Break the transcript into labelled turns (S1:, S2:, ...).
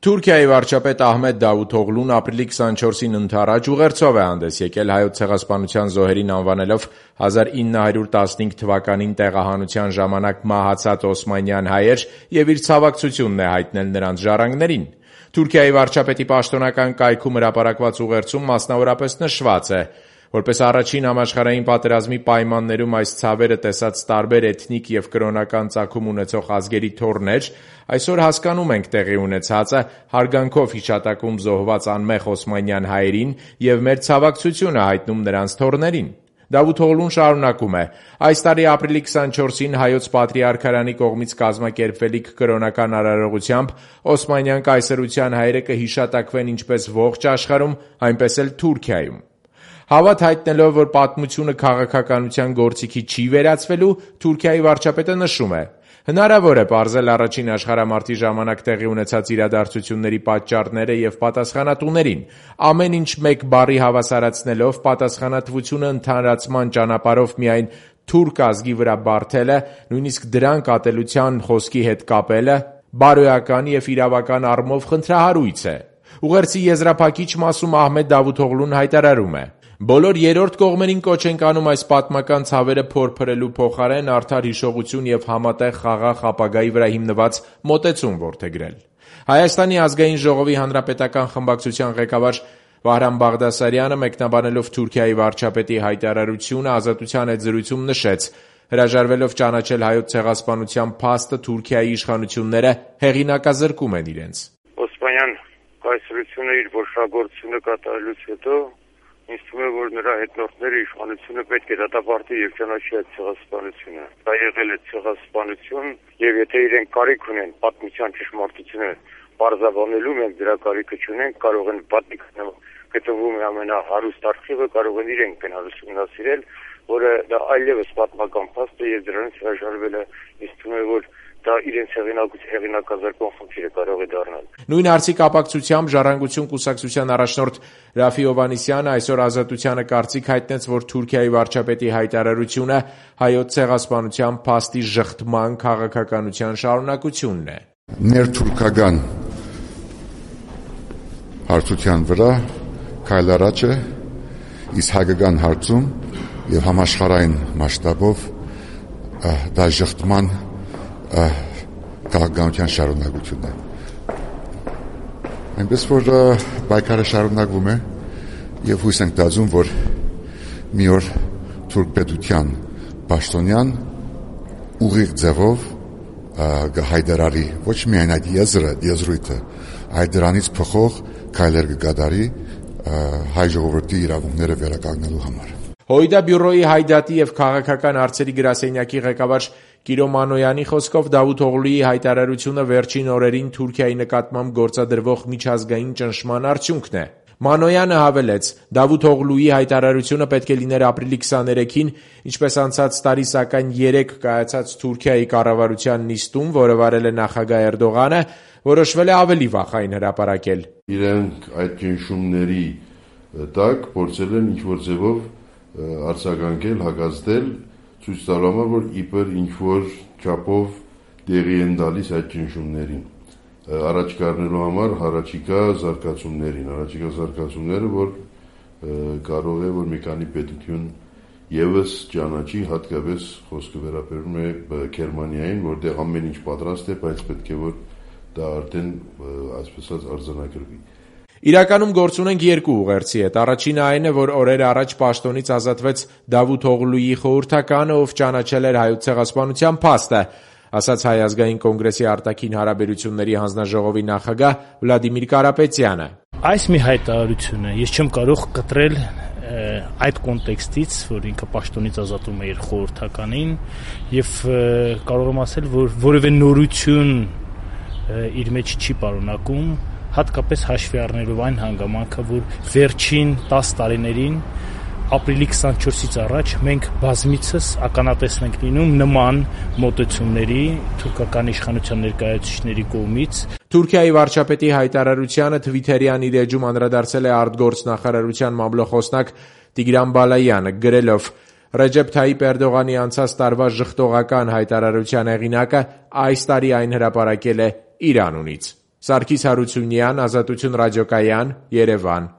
S1: Թուրքիայի վարչապետ Ահմեդ Դավութօղլուն ապրիլի 24-ին ընդառաջ ուղերձով է հանդես եկել Հայոց ցեղասպանության զոհերին անվանելով 1915 թվականին տեղահանության ժամանակ մահացած օսմանյան հայեր և իր ցավակցությունն է հայտնել նրանց ժառանգներին։ Թուրքիայի վարչապետի պաշտոնական կայքում հրապարակված ուղերձում մասնավորապես նշված է. Որպես առաջին համաշխարհային պատերազմի պայմաններում այս ցավերը տեսած տարբեր էթնիկ և կրոնական ծագում ունեցող ազգերի թոռներ, այսօր հասկանում ենք տեղի ունեցածը, հարգանքով հիշատակում զոհված անմեղ օսմանյան հայերին և մեր ցավակցությունը հայտնում նրանց թոռներին։ Դավութօղլուն շարունակում է. Այս տարի ապրիլի 24-ին Հայոց Պատրիարքարանի կողմից կազմակերպվելիք կրոնական արարողությամբ օսմանյան կայսրության հայերը կհիշատակվեն ինչպես ողջ աշխարհում, այնպես էլ Թուրքիայում։ Հավատ հայտնելով, որ պատմությունը քաղաքականության գործիքի չի վերածվելու, Թուրքիայի վարչապետը նշում է. Հնարավոր է պարզել առաջին աշխարհամարտի ժամանակ տեղի ունեցած իրադարձությունների պատճառները և պատասխանատուներին, ամեն ինչ մեկ բառի հավասարացնելով պատասխանատվությունը ընդհանրացման ճանապարհով միայն թուրք ազգի վրա բարդելը, նույնիսկ դրանք ատելության խոսքի հետ կապելը, բարոյական և իրավական առումով խնդրահարույց է։ Ուղերձի եզրափակիչ մասում Ահմեդ Դավութօղլուն հայտարարում է. Բոլոր երրորդ կողմերին կոչ ենք անում այս պատմական ցավերը փորփրելու փոխարեն արդար հիշողություն և համատեղ խաղաղ ապագայի վրա հիմնված մոտեցում որդեգրել։ Հայաստանի ազգային ժողովի հանրապետական խմբակցության ղեկավար Վահրամ Բաղդասարյանը մեկնաբանելով Թուրքիայի վարչապետի հայտարարությունը Ազատության հետ զրույցում նշեց. հրաժարվելով ճանաչել Հայոց ցեղասպանության փաստը Թուրքիայի իշխանությունները հեղինակազրկում են իրենց։
S2: Օսմանյան կայսրությունը իր որոշագործությունը կատարելուց հետո ինձ թվում է, որ նրա հետնորդները իշխանությունը պետք է դատապարտի եւ ճանաչի այդ ցեղասպանությունը։ Դա եղել է ցեղասպանություն եւ եթե իրենք կարիք ունեն պատմության ճշմարտությունը բարձրաբանելու, մենք դրա կարիքը չունենք, կարող են պատիկ գտնվում է ամենահարուստ արխիվը, կարող են իրենք գնալ ուսումնասիրել, որը դա այլևս պատմական փաստ է եւ դրանից հրաժարվելը ինձ թվում է, որ դա իրենց հեղինակազրկող խնդիրը կարող է դառնալ։
S1: Նույն հարցի կապակցությամբ Ժառանգություն կուսակցության առաջնորդ Ռաֆի Հովհաննիսյանը այսօր Ազատությանը կարծիք հայտնեց, որ Թուրքիայի վարչապետի հայտարարությունը Հայոց ցեղասպանության փաստի ժխտման քաղաքականության շարունակությունն է։
S3: Ներթուրքական հարցության վրա քայլ առաջ է, իսկ հայկական հարցում եւ համաշխարհային մասշտաբով դա ժխտման քաղաքականության շարունակությունն է։ Այնպես որ պայքարը շարունակվում է եւ հույս ենք տածում, որ մի օր թուրք պետության պաշտոնյան ուղիղ ձևով կհայտարարի ոչ միայն այդ եզրույթը, այլ դրանից փոխող քայլեր կկատարի հայ ժողովրդի իրավունքները վերականգնելու համար։
S1: ՀՅԴ բյուրոյի հայդատի եւ քաղաքական հարցերի գրասենյակի ղեկավար Կիրո Մանոյանի խոսքով Դավութօղլուի հայտարարությունը վերջին օրերին Թուրքիայի նկատմամբ գործադրվող միջազգային ճնշման արդյունքն է։ Մանոյանը հավելեց. Դավութօղլուի հայտարարությունը պետք է լիներ ապրիլի 23-ին, ինչպես անցած տարի, սակայն 3 կայացած Թուրքիայի կառավարության նիստում, որը վարել է նախագահ Էրդողանը, որոշվել է ավելի վաղ այն հրապարակել։
S4: Իրենք այդ ճնշումների տակ փորձել են ինչ-որ ձևով արձագանքել, հակազդել, ցույց տալու համար, որ իբր ինչ-որ չափով տեղի են տալիս այդ ճնշումներին։ Առաջ կառնելու համար առաջիկա զարգացումները, որ կարող է, որ մի քանի պետություն եւս ճանաչի, հատկապես խոսքը վերաբերում է Գերմանիային, որտեղ ամեն ինչ պատրաստ է, բայց պետք է որ դա արդեն, այսպես ասած, արձանագրվի։
S1: Իրականում գործ ունենք երկու ուղերձի հետ։ Առաջինը այն է, որ օրեր առաջ պաշտոնից ազատվեց Դավութօղլուի խորհրդականը, ով ճանաչել էր Հայոց ցեղասպանության փաստը, ասաց Հայ ազգային կոնգրեսի արտաքին հարաբերությունների հանձնաժողովի նախագահ Վլադիմիր Կարապետյանը։
S5: Այս մի հայտարարությունը ես չեմ կարող կտրել այդ կոնտեքստից, որ ինքը պաշտոնից ազատում է իր խորհրդականին եւ կարող եմ ասել, որ որևէ նորություն իր մեջ չի պարունակում, հատկապես հաշվի առնելով այն հանգամանքը, որ վերջին 10 տարիներին ապրիլի 24-ից առաջ մենք բազմիցս ականատես ենք լինում նման մոտեցումների թուրքական իշխանության ներկայացուցիչների կողմից։
S1: Թուրքիայի վարչապետի հայտարարությանը Թվիթերյան իր էջում անդրադարձել է արտգործնախարարության մամլոխոսնակ Տիգրան Բալայանը, գրելով. Ռեջեփ Թայիպ Էրդողանի անցած տարվա ժխտողական հայտարարության հեղինակը այս տարի այն հրապարակել է իր անունից։ Սարգիս Հարությունյան, Ազատություն ռադիոկայան, Երևան։